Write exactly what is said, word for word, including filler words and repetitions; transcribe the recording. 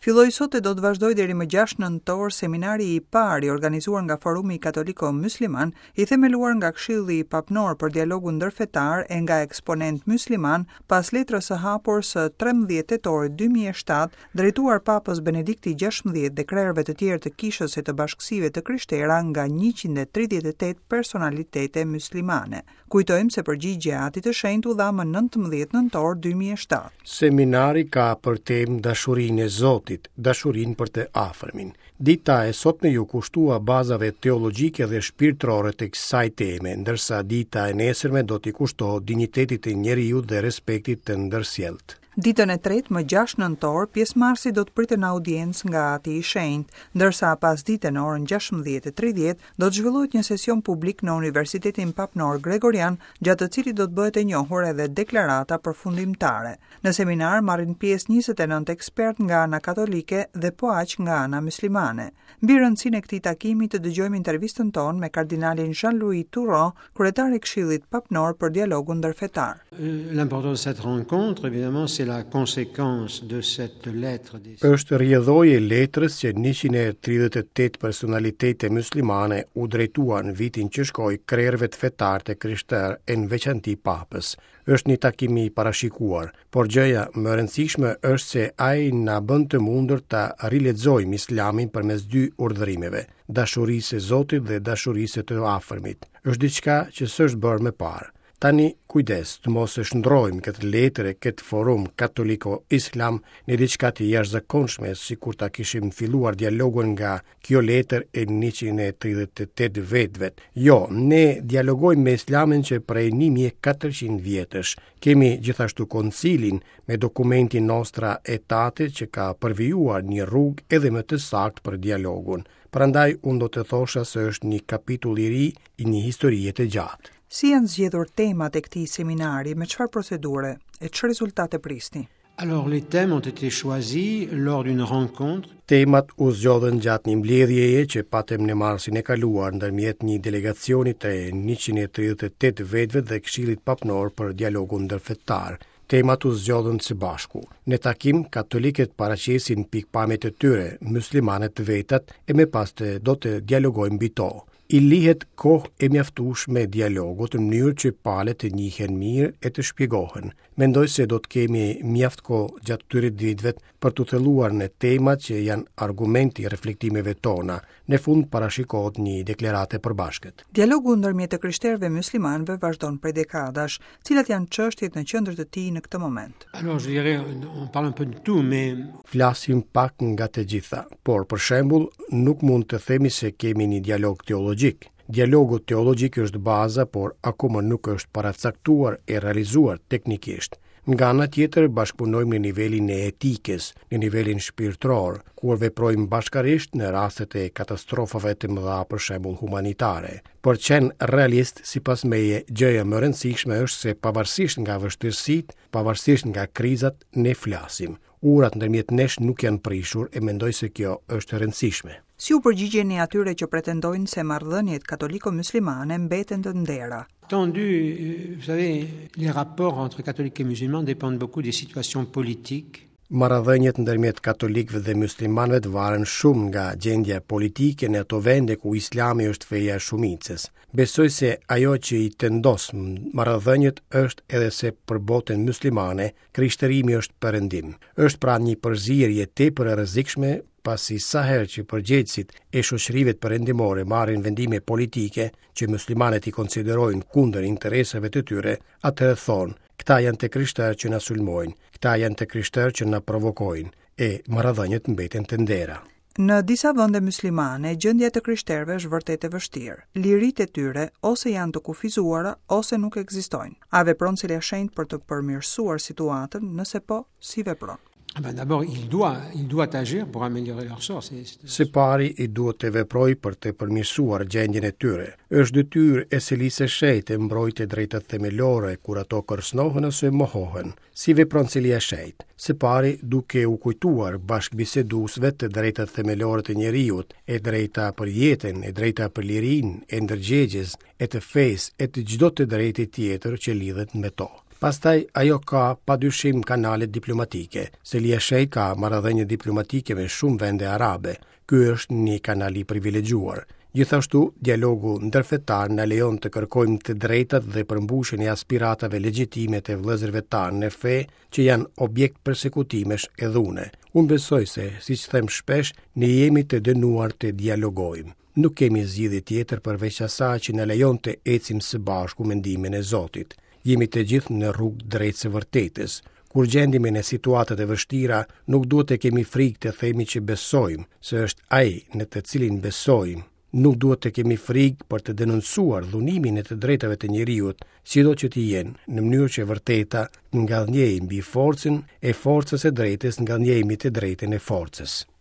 Filloi sot e do të vazhdojë deri më gjashtë nëntor seminari i parë i organizuar nga Forumi Katoliko Musliman, i themeluar nga Këshilli Papnor për Dialogun Ndërfetar e nga eksponent musliman pas letrës së hapur së trembëdhjetë tetorit dy mijë e shtatë, drejtuar Papës Benedikti gjashtëmbëdhjetë dhe krerëve të tjerë të kishës e të bashkësive të krishtera nga njëqind e tridhjetë e tetë personalitete muslimane. Kujtojmë se përgjigjja e Atit të Shenjtë u dha më nëntëmbëdhjetë nëntor dy mijë e shtatë. Seminari ka për temë dashurinë e Zotit, dashurinë për të afërmin. Dita e sotme ju kushtua bazave teologjike dhe shpirtërore të kësaj teme, ndërsa dita e nesërme do t'i kushtohet dinjitetit të njeriut dhe respektit të ndërsjelltë. Ditën e tretë, më gjashtë nëntor, pjesëmarrësit do të priten në audiencë nga Ati i Shenjtë, ndërsa pas dite në orën gjashtëmbëdhjetë e tridhjetë do të zhvillohet një sesion publik në Universitetin Papnor Gregorian, gjatë të cilit do të bëhet e njohur edhe deklarata përfundimtare. Në seminar marrin pjesë njëzet e nëntë ekspert nga ana katolike dhe po aq nga ana muslimane. Mbi rëndësinë e këtij takimi të dëgjojmë intervistën tonë me kardinalin Jean-Louis Tauran, kryetar i Këshillit Papnor për Dialogun Ndërfetar. L'importance de cette rencontre, évidemment, c'est la conséquence de cette lettre des Është rrjedhojë e letrës që njëqind e tridhjetë e tetë personalitete muslimane u drejtuan vitin që shkoi krerëve të fetar të krishterë e në veçanti papës. Është një takim i parashikuar, por gjëja më e rëndësishme është se ai na bën të mundur ta rilexojmë Islamin përmes dy urdhërimeve, dashurisë së Zotit dhe dashurisë së të afërmit. Është diçka që s'është bërë më parë. Tani, kujdes, të mos e shndrojmë këtë letër e këtë forum katoliko-islam në diçka të jashtëzakonshme, sikur ta kishim filluar dialogun nga kjo letër e njëqind e tridhjetë e tetë vetëve. Jo, ne dialogojmë me Islamin që prej një mijë e katërqind vjetësh. Kemi gjithashtu koncilin me dokumentin Nostra Aetate që ka përvijuar një rrugë edhe më të saktë për dialogun. Prandaj unë do të thosha se është një kapitull i ri i një historie të gjatë. Si janë zgjedhur temat e këtij seminari, me çfarë procedure e çfarë rezultate prisni? Alors les thèmes ont été choisis lors d'une rencontre. Temat u zgjodhën gjatë një mbledhjeje që patëm në marsin e kaluar ndërmjet një delegacioni të njëqind e tridhjetë e tetë vetëve dhe Këshillit Papnor për Dialogun Ndërfetar. Temat u zgjodhën së bashku. Në takim, katolikët paraqesin pikpamjet e tyre, muslimanët vetat e më pas të do të dialogojnë mbi to. I lihet kohë e mjaftueshme dialogut në mënyrë që palët të njihen mirë e të shpjegohen. Mendoj se do të kemi mjaft kohë gjatë këtyre ditëve për të thelluar në temat që janë argumenti i reflektimeve tona. Në fund parashikohet një deklaratë e përbashkët. Dialogu ndërmjet të krishterëve muslimanëve vazhdon prej dekadash. Cilat janë çështjet në qendër të tij në këtë moment? Alors, je dirais, on parle un peu de tout, mais Flasim pak nga të gjitha, por për shembull nuk mund të themi se kemi një dialog teologjik. Dialogu teologjik është baza, por akoma nuk është paracaktuar e realizuar teknikisht. Nga ana tjetër, bashkëpunojmë në nivelin e etikës, në nivelin shpirtëror, kur veprojmë bashkarisht në rastet e katastrofave të mëdha, për shembull humanitare. Por qenë realist, sipas meje, gjëja më e rëndësishme është se pavarësisht nga vështirësitë, pavarësisht nga krizat, ne flasim. Urat ndërmjet nesh nuk janë prishur e mendoj se kjo është e rëndësishme. Si u përgjigjeni atyre që pretendojnë se marrëdhëniet katoliko-muslimane mbeten të ndera? Tendu, vous savez, les rapports entre catholiques et musulmans dépendent beaucoup des situations politiques. Marrëdhëniet ndërmjet katolikëve dhe muslimanëve varen shumë nga gjendja politike në ato vende ku islami është feja e shumicës. Besoj se ajo që i tendos marrëdhëniet është edhe se për botën muslimane krishterimi është perëndim. Është pra një përzierje tepër e rrezikshme, pasi sa herë që përgjegjësit e shoqërive perëndimore marrin vendime politike që muslimanët i konsiderojnë kundër interesave të tyre, atëherë thonë, këta janë të krishterë që na sulmojnë, këta janë të krishterë që na provokojnë, e marrëdhëniet mbeten të ndera. Në disa vende muslimane, gjendja e të krishterëve është vërtet e vështirë. Liritë e tyre ose janë të kufizuara ose nuk ekzistojnë. A vepron Selia e Shenjtë për të përmirësuar situatën? Nëse po, si vepron? Ah ben d'abord, il doit, il doit agir pour améliorer leur sort. C'est, c'est Së pari, i duhet të veproj për të përmirësuar gjendjen e tyre. Është detyrë e Selisë së Shenjtë të mbrojë të drejtat themelore kur ato kërcënohen ose mohohen. Si vepron Selia e Shenjtë? Së pari, duke u kujtuar bashkëbiseduesve të drejtat themelore të njeriut, e drejta për jetën, e drejta për lirinë, e ndërgjegjes, e të fesë, e të çdo të drejte tjetër që lidhet me to. Pastaj ajo ka padyshim kanalet diplomatike. Selia e Shenjtë ka marrëdhënie diplomatike me shumë vende arabe. Ky është një kanal i privilegjuar. Gjithashtu, dialogu ndërfetar na lejon të kërkojmë të drejtat dhe përmbushjen e aspiratave legjitime të vëllezërve tanë në fe që janë objekt persekutimesh e dhune. Unë besoj se, siç them shpesh, ne jemi të dënuar të dialogojmë. Nuk kemi zgjidhje tjetër përveç asaj që na lejon të ecim së bashku me ndihmën e Zotit. Jemi të gjithë në rrugë drejt së vërtetës. Kur gjendemi në situatat e vështira, nuk duhet të kemi frikë të themi që besojmë, se është ai në të cilin besojmë. Nuk duhet të kemi frikë për të denoncuar dhunimin e të drejtave të njeriut, sido që të jenë, në mënyrë që vërteta të ngadhnjejë mbi forcën e forcës së drejtës ngadhnjejë mbi të drejtën e forcës.